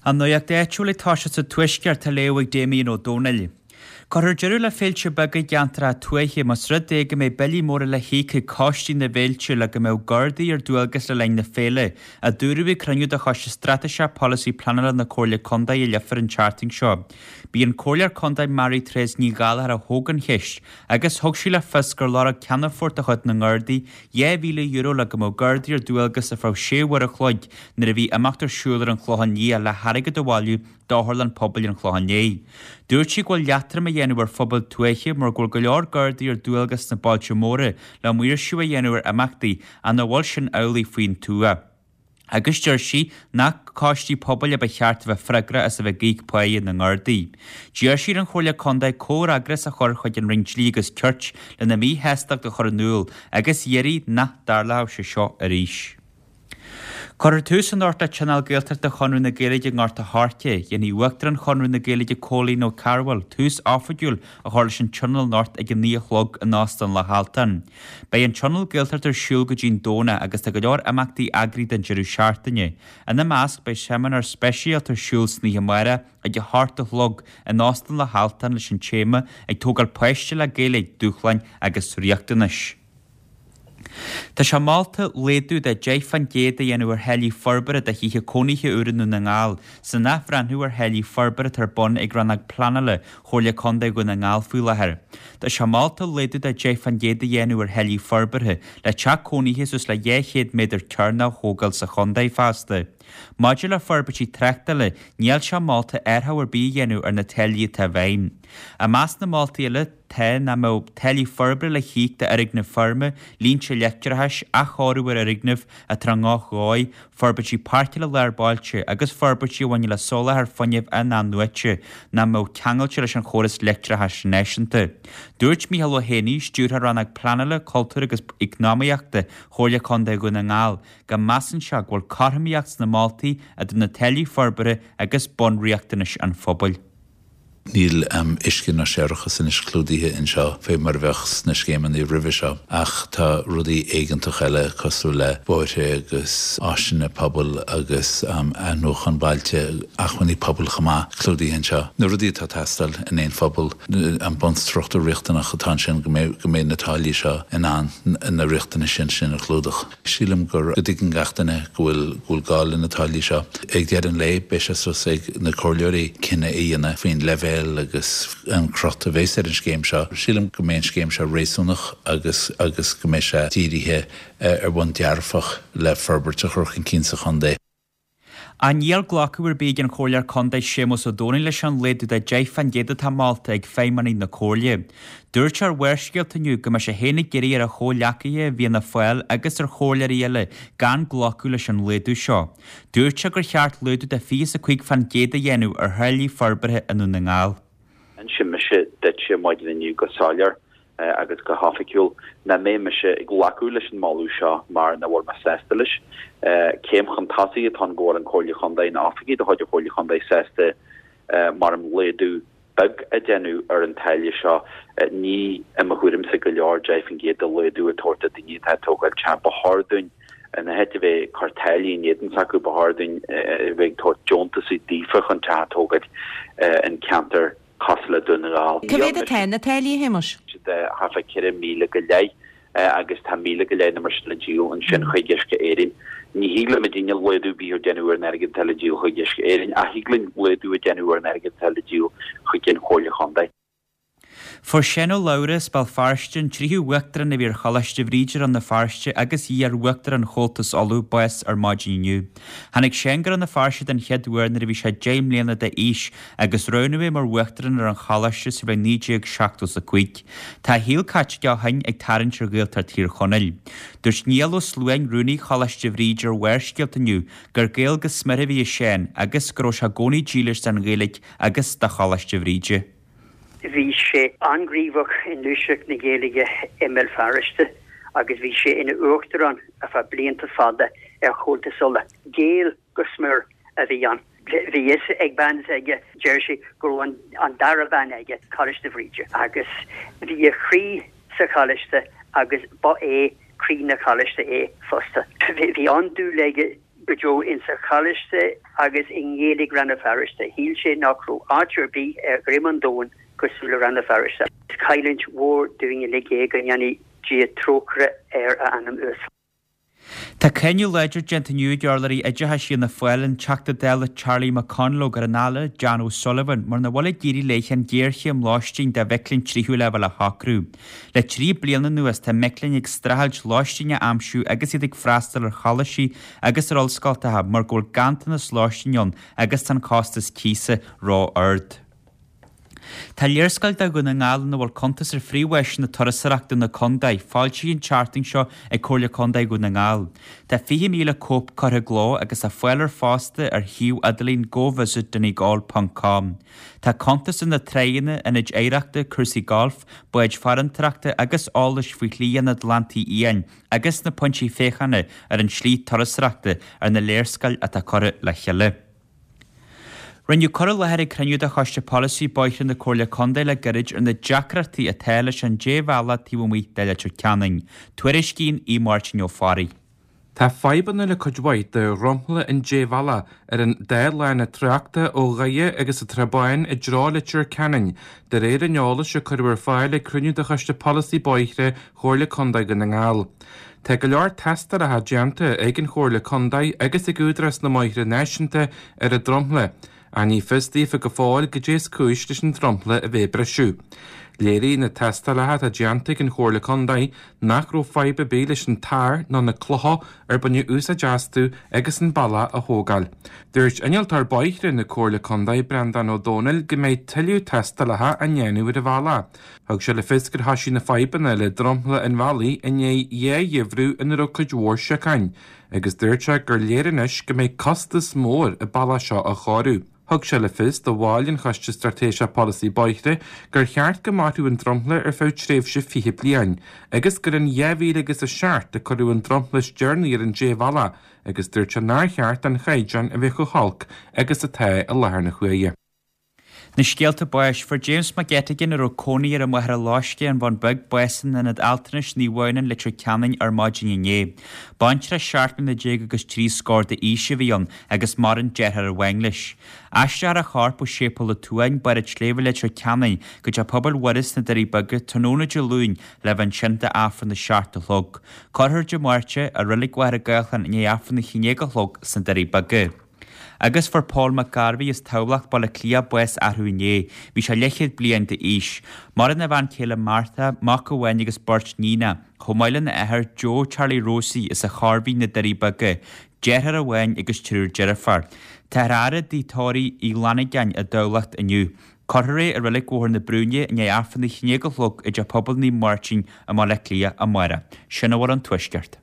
An nuacht áitiúil ag toiseacht sa Tuaisceart á léamh ag Damien Ó Dónaill. Cuirfear deireadh le féilte beaga i gceantracha tuaithe más rud é go mbeidh billí móra le híoc ag coistí na bhféilte le go mbeadh Gardaí ar dualgas le linn na féile, a dúradh ag cruinniú de Choiste Straitéiseach Polasaí Pleanála na Comhairle Contae i Leifear an tseachtain seo. B'í an Comhairleoir Contae Mary Therese Ní Ghallchóir a thóg an cheist agus thug sí le fios gur lorg Ceannfort de chuid na nGardaí €2,000 le go mbeadh Gardaí ar dualgas ar feadh sé uair a chloig nuair a bhí imeacht ar siúl ar an Chlochán Liath le hairgead a bhailiú d'Otharlann Pobail an Chlocháin Léith. Dúirt sí go bhfuil leatrom á dhéanamh ar phobail tuaithe mar go bhfuil go leor Gardaí ar dualgas sna bailte móra le maoirsiú a dhéanamh ar imeachtaí ach nach bhfuil sin amhlaidh faoin tuath. Agus deir sí nach coistí pobail a ba cheart a bheith freagrach as a bheith ag íoc páighe na nGardaí. D'iarr sí ar an Chomhairle Contae comhfhreagras a chur chuig an Roinn Dlí agus Cirt lena míshástacht a chur in iúl agus iarraidh nach dtarlódh sé seo arís. Cuirfear tús anocht le Tionól Gaeltachta Chonradh na Gaeilge i nGort a' Choirce. Dhéanfaidh Uachtarán Chonradh na Gaeilge Cóilín Ó Cearbhaill tús oifigiúil a chur leis an Tionól anocht ag 9 a chlog in Óstán Loch Altan. Beidh an Tionól Gaeltachta ar siúl go dtí'n Domhnach agus tá go leor imeachtaí eagraithe don deireadh seachtaine. Ina measc beidh seimineár speisialta ar siúl san oíche amárach ag 8 a chlog in Óstán Loch Altan leis an téama 'Ag Tógáil Páiste le Gaeilge, Dúshláin agus Riachtanais'. Tá sé molta laghdú de 10% a dhéanamh ar tháillí forbartha do thithe cónaithe úra i nDún na nGall san athbhreithniú ar tháillí forbartha atá ar bun ag Rannóg Pleanála Chomhairle Contae Dhún na nGall faoi láthair. Tá sé molta laghdú de 10% a dhéanamh ar tháillí forbartha le teach cónaithe suas le 200 méadar cearnach a thógáil sa chontae feasta. Maidir le forbairtí tráchtála, níl sé molta athrú ar bith a dhéanamh ar na táillí atá i bhfeidhm. I measc na moltaí eile, tá nach mbeadh táillí forbartha le híoc d'fhoirgnimh feirme, línte leictreachais, athchóiriú ar fhoirgnimh atá ar ndroch-dhóigh, forbairtí páirceála lár bailte agus forbairtí a bhaineann le soláthar fuinnimh in-athnuaite nach mbeadh ceangailte leis an chóras leictreachais náisiúnta. Dúirt Mícheál Ó hÉanaí, Stiúrthóir Rannóg Pleanála, Cultúir agus Eacnamaíochta Chomhairle Contae Dhún na nGall, go measann sé go bhfuil cothromaíocht sna moltaí idir na táillí forbartha agus bunriachtanais an phobail. Níl uisce ná séarachas anois clúdaithe anseo fé mar a bheadh sna scéimeanna roimhe seo ach tá rudaí éigeantach eile cosúil le bóithre agus áiseanna pobail agus athnuachan bailte, acmhainní pobail chomh maith clúdaithe anseo. Na rudaí atá ag teastáil in aon phobal, an bunstruchtúr riachtanach atá ansin go mbeidh na táillí seo in ann na riachtanais sin a chlúdach. Sílim go dtuigeann gach duine go bhfuil go bhfuil gá le na táillí seo. Ag deireadh an lae, beidh sé suas ag na comhairleoirí cinneadh a dhéanamh faoin leibhéal agus an crot a bheas ar an scéim seo. Sílim go mbeidh an scéim seo réasúnach agus agus go mbeidh sé dírithe ar bhonn dearfach le forbairt a chur chun cinn sa chontae. Ach níl glacadh ar bith ag an Chomhairleoir Contae Séamus Ó Domhnaill leis an laghdú de 10% atá molta ag feidhmeannaigh na Comhairle. Dúirt sé ar Bharrscéalta inniu go mbeidh sé féin ag iarraidh ar a chomhghleacaithe i bhFianna Fáil agus ar chomhairleoirí eile gan glacadh leis an laghdú seo. Dúirt sé gur cheart laghdú de 25% a dhéanamh ar tháillí forbartha i nDún na nGall. D'inis mise duitse maidin inniu go soiléir agus go hoifigiúil nach mbeidh mise ag glacadh leis an moladh seo mar nach bhfuil mé sásta leis. Céim chun tosaigh atá ann go bhfuil an Comhairle Chontae, na oifigigh de chuid an Chomhairle Chontae sásta mar laghdú beag a dhéanamh ar an táille seo. Ní i mo thuairimse go leor 10% de laghdú a tabhairt do daoine atá ag tógáil teach. Ba chóir dúinn in áit a bheith ag cur táillí in éadan s'acu ba chóir dúinn a bheith ag tabhairt deontasaí daofa chun teach a tógáil in ceantar cosúil le Dún na nGall. Cá mhéad atá na táillí, a Shéamais? De thart fá 4,000 go leith agus tá 1,000 go leith nó mar sin le díol ansin chuig Uisce Éireann. Ní thig le muidinne laghdú ar bith a dhéanamh ar an airgead atá le díol chuig Uisce Éireann ach thig linn laghdú a dhéanamh ar an airgead atá le díol chuig an Chomhairle Chontae. Fuair Seán Ó Labhra as Béal Feirste, an tríú Uachtarán a bhí ar Choláiste Bhríde Rann na Feirste agus iar-Uachtarán Chomhaltas Uladh, bás ar maidin inniu. Tháinig Seán go Rann na Feirste den chéad uair nuair a bhí sé 10 mbliana d'aois agus roghnaíodh é mar Uachtarán ar an Choláiste sa bhliain 1975. Tá a shaol caite aige ó shin ag tarraingt ar Ghaeltacht Thír Chonaill. Dúirt Niall Ó Sluain, Rúnaí Choláiste Bhríde ar Bharrscéalta inniu gur Gael go smior a bhí i Seán agus go raibh sé i gcónaí dílis don Ghaeilge agus do Choláiste Bhríde. Bhí sé an-ghníomhach i ngluaiseacht na Gaeilge i mBéal Feirste agus bhí sé ina uachtarán ar feadh blianta fada ar Chomhaltas Uladh. Gael go smior a bhí ann. Bhí fhios ag bean s'aige, deir sé, go raibh an dara bean aige, Coláiste Bhríde, agus bhí a chroí sa choláiste agus ba é croí na coláiste é fosta. Bhí an-dúil aige. go deo insa Choláiste agus i nGaeilge Rann na Feirste. Shíl sé nach raibh áit ar bith ar dhroim an domhain cosúil le Rann na Feirste. Is cailliúint mhór dúinn uilig é, go ndéanfaidh Dia trócaire ar a anam uasal. Tá cáineadh láidir déanta inniu ag urlabhraí oideachais Fhianna Fáil, an Teachta Dála Charlie McConalogue ar an Aire Jan O'Sullivan mar nach bhfuil ag éirí léithe an ghéarchéim lóistín do mhic léinn tríú leibhéal a shocrú. Le 3 bliana anuas tá mic léinn ag streachailt lóistín a aimsiú agus iad ag freastal ar choláistí agus ar ollscoltacha mar go bhfuil ganntanas lóistín ann agus tá an costas cíosa ró-ard. Tá léarscáil de Dhún na nGall ina bhfuil cuntas ar phríomháiseanna turasóireachta na contae foilsithe an tseachtain seo ag Comhairle Contae Dhún na nGall. Tá 20,000 cóip curtha i gcló agus tá fáil air fosta ar shuíomh idirlín govisitdonegal ponc com. Tá cuntas ar na tráigheanna, ionaid oidhreachta, cúrsaí gailf, báid farantóireachta agus eolais faoi Shlí an Atlantaigh Fhiáin agus na pointí féachana ar an tslí turasóireachta ar na léarscáil atá curtha le chéile. Rinneadh cur i láthair ag cruinniú de Choiste Polasaí Bóithre na Comhairle Contae le gairid ar na deacrachtaí atá leis an débhealach taobh amuigh de Leitir Ceanainn. Tuairiscíonn Aodh Máirtín Ó Fearraigh. Tá fadhbanna le cuid mhaith de dhromchla an débhealaigh ar an dá lána tráchta ó Dhoire agus an tSrath Bán i dtreo Leitir Ceanainn, de réir an eolais a cuireadh ar fáil ag cruinniú de Choiste Polasaí Bóithre Chomhairle Contae Dhún na nGall. Tá go leor tástálacha déanta ag an Chomhairle Contae agus ag Údarás na mBóithre Náisiúnta ar an dromchla, ach ní fios daofa go fóill goidé is cúis leis an dromchla a bheith ag briseadh. Léirigh na tástálacha atá déanta ag an Chomhairle Contae nach raibh fadhb ar bith leis an tar ná na clocha ar baineadh úsáid astu agus an bealach á thógáil. Dúirt Innealtóir Bóithre na Comhairle Contae, Breandán Ó Dónaill, go mbeidh tuilleadh tástálacha á ndéanamh ar an bhealach. Thug sé le fios gur thoisigh na fadhbanna le dromchla an bhealaigh i ndiaidh dhá gheimhreadh ina raibh cuid mhór siocáin, agus dúirt sé gur léir anois go mbeidh costas mór an bealach seo a chóiriú. Thug sé le fios do bhaill an Choiste Straitéiseach Polasaí Bóithre gur cheart go mairfeadh an dromchla ar feadh tréimhse 20 bliain, agus gur in 2007 a cuireadh an dromchla is deireanaí ar an débhealach, agus dúirt sé nár cheart don chaighdeán a bheith chomh holc agus atá i láthair na huaire. Na scéalta báis. Fuair James Mac Eiteagáin, a raibh cónaí air i Machaire Loiscthe, An Bun Beag, bás in Ionad Altranais Naomh Adhamhnáin, Leitir Ceanainn ar maidin inné. Baintreach 17 mbliana agus trí scór d'aois a bhí ann agus maireann deartháir amháin leis. Aistreofar a chorp ó Séipéal an tSuain, Barr an tSléibhe, Leitir Ceanainn, go Teach Pobail Mhuire sna Doirí Beaga tráthnóna Dé Luain le bheith ansin d'Aifreann a 7 a chlog. Cuirfear Dé Máirt é i Reilig Mhachaire Gathlán i ndiaidh Aifreann a 11 a chlog sna Doirí Beaga. Agus fuair Paul McGarvey as Tamhlacht, Baile Átha Cliath, bás arú inné. Bhí sé leathchéad bliain d'aois. Maireann a bhean chéile Martha, mac amháin agus beirt níonacha, chomh maith lena athair Joe Charlie Rosie as an Chorrmhín, na Doirí Beaga, deartháir amháin agus triúr deirfiúr. Táthar á fhaire i dtigh tórraimh Uí Fhlannagáin i dTamhlacht inniu. Cuirfear é i Reilig Bhóthar na Brúinne i ndiaidh Aifreann a 11 a chlog i dTeach Pobail Naomh Máirtín i mBaile Átha Cliath amárach. Sin a bhfuil ón Tuaisceart.